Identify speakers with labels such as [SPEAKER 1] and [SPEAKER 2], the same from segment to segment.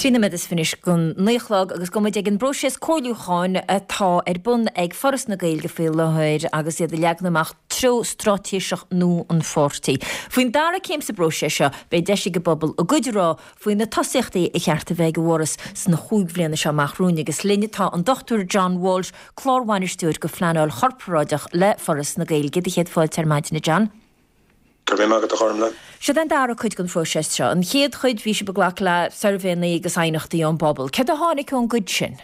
[SPEAKER 1] 3 nóiméad is 20 anois don 9 a chlog agus gabhfaidh muid ag an bpróiseas comhairliúcháin atá ar bun ag Foras na Gaeilge faoi láthair agus iad ag leagan amach treo straitéiseach nua an pháirtí. Faoin dara céim sa bpróiseas seo, beidh deis ag an bpobal a gcuid a rá faoi na tosaíochtaí a cheart a bheith ag an bhForas sna chúig bhliana seo amach romhainn agus linn tá an Dr John Walsh, Clárbhainisteoir do Phleanáil Chorparáideach le Foras na Gaeilge. Do chéad fáilte ar maidin, a John.
[SPEAKER 2] Go raibh maith agat, a Ghormlaith.
[SPEAKER 1] Seo é an dara cuid den phróiseas seo. An chéad chuid, bhí sibh ag glacadh le suirbhéanna agus aighneachtaí ón bpobal. Céard a tháinig ón gcuid sin?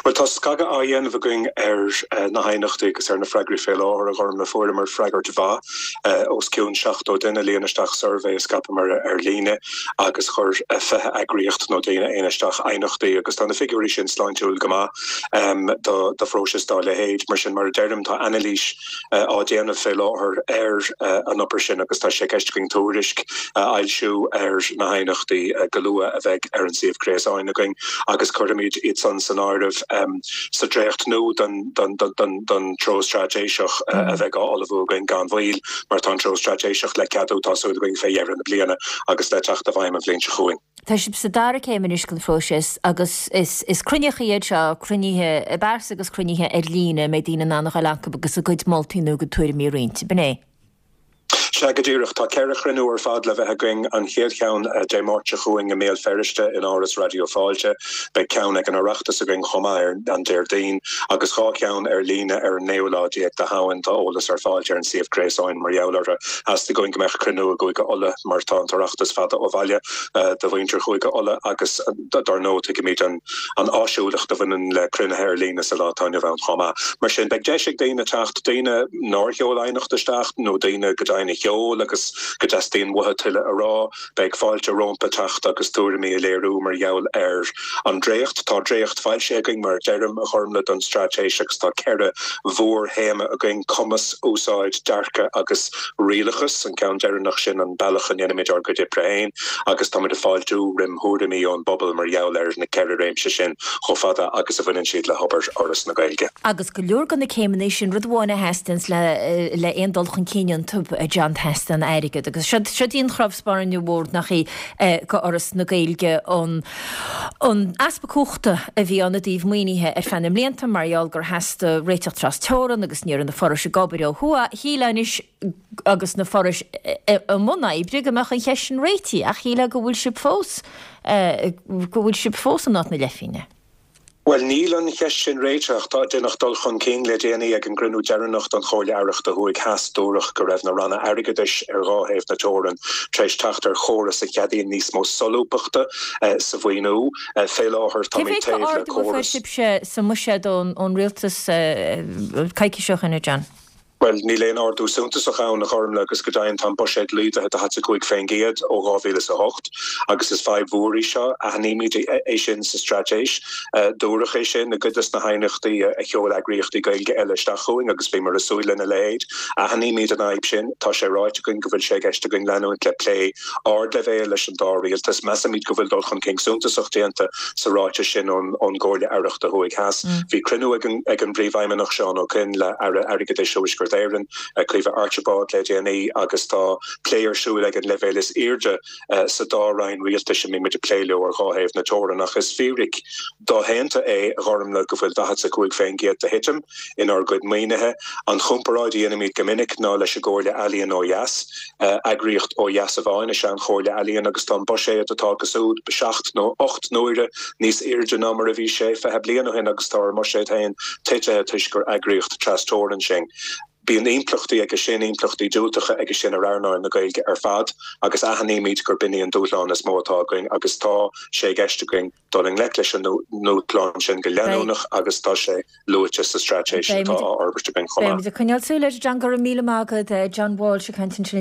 [SPEAKER 2] Bhuel, tá scagadh á dhéanamh againn ar na haighneachtaí agus ar na freagraí fé láthair, a Ghormlaith. Fuaireamar freagairt mhaith, os cionn 70 duine a líon isteach suirbhé a scaipeamar ar líne agus chuir 20 eagraíocht nó daoine aonair isteach aighneachtaí agus tá na figiúirí sin sláintiúil go maith do phróiseas dá leithéid. Mar sin, mar a deirim, tá anailís á déanamh fé láthair ar an obair sin agus tá sé i gceist againn tuairisc a fhoilsiú ar na haighneachtaí go luath a bheidh ar an suíomh gréasáin againn agus cuirfimid iad san san áireamh sa dréacht nua den treo straitéiseach a bheidh á ullmhú againn gan mhoill mar tá an treo straitéiseach le ceadú tá súil againn fé dheireadh na bliana agus le teacht i bhfeidhm an bhliain seo chugainn.
[SPEAKER 1] Tá sibh sa dara céim anois den phróiseas agus is cruinnithe iad seo, cruinnithe i bpearsa agus cruinnithe ar líne a mbeidh daoine in ann a ghoil acu agus a gcuid moltaí nó a gcuid tuairimí a roinnt. Ab in é?
[SPEAKER 2] Sea, go díreach. Tá 4 chruinniú ar fad le bheith againn. An chéad cheann Dé Máirt seo chugainn i mBéal Feirste in Áras Raidió Fáilte. Beidh ceann ag an Oireachtas againn chomh maith ar an Déardaoin agus 2 cheann ar líne ar an naoú lá déag de Shamhain. Tá eolas ar fáilt ar an suíomh gréasáin mar gheall orthu. Theastaigh uainn go mbeadh cruinniú i gCúige Uladh mar tá an tOireachtas fada ó bhaile do mhuintir Chúige Uladh agus dar ndóigh tuigimid an áisiúlacht a bhaineann le cruinnithe ar líne sa lá atá inniu ann chomh maith. Mar sin beidh deis ag daoine teacht, daoine nár sheol aighneacht isteach nó daoine go deimhin a sheol agus go dteastaíonn uathu tuilleadh a rá. Beidh fáilte rompu teacht agus tuairimí a léiriú mar gheall ar an dréacht. Tá dréacht foilsithe againn, mar a deirim, a Ghormlaith, don straitéis agus tá 4 mhórthéama againn, cumas, úsáid, dearcadh agus rialachas, an ceann deireanach sin an bealach a ndéanaimid ár gcuid oibre féin agus táimid ag fáiltiú roim thuairimí ón bpobal mar gheall ar na 4 réimse sin chomh fada agus a bhaineann siad le hobair Fhoras na Gaeilge.
[SPEAKER 1] Agus go leor de na céimeanna sin, rud amháin a theastaíonns le le aon dul chun cinn iontu, a John, teastaíonn airgead. Agus siod siod í an chnámh spairne mhór nach í do Fhoras na Gaeilge an an easpa cumhachta a bhí ann i dtaobh maoinithe ar feadh na mblianta mar gheall gur theastaigh réiteach tras teorann agus ní raibh na forais ag obair ó thuaidh. Shílfeá anois agus na forais i mbun oibre go mbeadh an cheist sin réitithe ach shílfeá go bhfuil sibh fós go bhfuil sibh fós in áit na leithphingne.
[SPEAKER 2] Bhuel, níl an cheist sin réitithe. Tá deineadh dul chun cinn le déanaí ag an gcruinniú deireanach den Chomhairle Aireachta Thuaidh Theas. Dúradh go raibh na ranna airgeadais ar dhá thaobh na teorann tar éis teacht ar chóras a cheadaíonn níos mó solúbthachta sa mhaoiniú. Fé láthair,
[SPEAKER 1] Cé
[SPEAKER 2] táimid
[SPEAKER 1] mhéad de
[SPEAKER 2] taobh le
[SPEAKER 1] ardú a fuair
[SPEAKER 2] córas.
[SPEAKER 1] sibhse sa mbuiséad ón rialtas coicís ó shin, a John?
[SPEAKER 2] Bhuel, níl aon ardú suntasach ann, a Ghormlaith, agus go deimhin tá an buiséad laghdaithe 45% ó 2008 agus is fadhb mhór í seo. Aithnímid é sin sa straitéis. Dúradh é sin i gcuid de na haighneachtaí a sheol eagraíochtaí Gaeilge eile isteach chugainn agus bhíomar ag súil lena leithéid. Aithnímid an fhadhb sin. Tá sé ráite againn go bhfuil sé i gceist againn leanúint le plé ardleibhéil leis an dá rialtas. Measaimid go bhfuil dul chun cinn suntasach déanta sa ráiteas sin ón gComhairle Aireachta Thuaidh Theas. Bhí cruinniú ag an bPríomhfheidhmeannach Seán Ó Coinn le Aire Airgeadais Thuaisceart Éireann, Caoimhe Archibald le déanaí agus tá plé ar siúl ag an leibhéal is airde sa dá roinn rialtais a mbímid ag plé leo ar dhá thaobh na teorann. Ach is fíric doshéanta é, a Ghormlaith, go bhfuil 45% de thitim inár gcuid maoinithe. An chomparáid a dhéanaimid go minic ná leis an gComhairle Ealaíon ó dheas. Eagraíocht ó dheas amháin is ea an Chomhairle Ealaíon agus tá an buiséad atá acu siúd seacht nó ocht n-uaire níos airde ná mar a bhí sé 20 bliain ó shin agus tá ár mbuiséad féin titithe toisc gur eagraíocht tras-teorann sinn. Bíonn impleachtaí aige sin, impleachtaí diúltacha aige sin ar earnáil na Gaeilge ar fad agus aithnímid gurb in í an dúshlán is mó atá againn agus tá sé i gceist againn dul i ngleic leis an ndúshlán sin go leanúnach agus tá sé luaite sa straitéis atá á fhorbairt againn chomh maith.
[SPEAKER 1] Beimid ag coinneáil súil air, John. Go raibh míle maith agat. John Walsh ag caint ansin.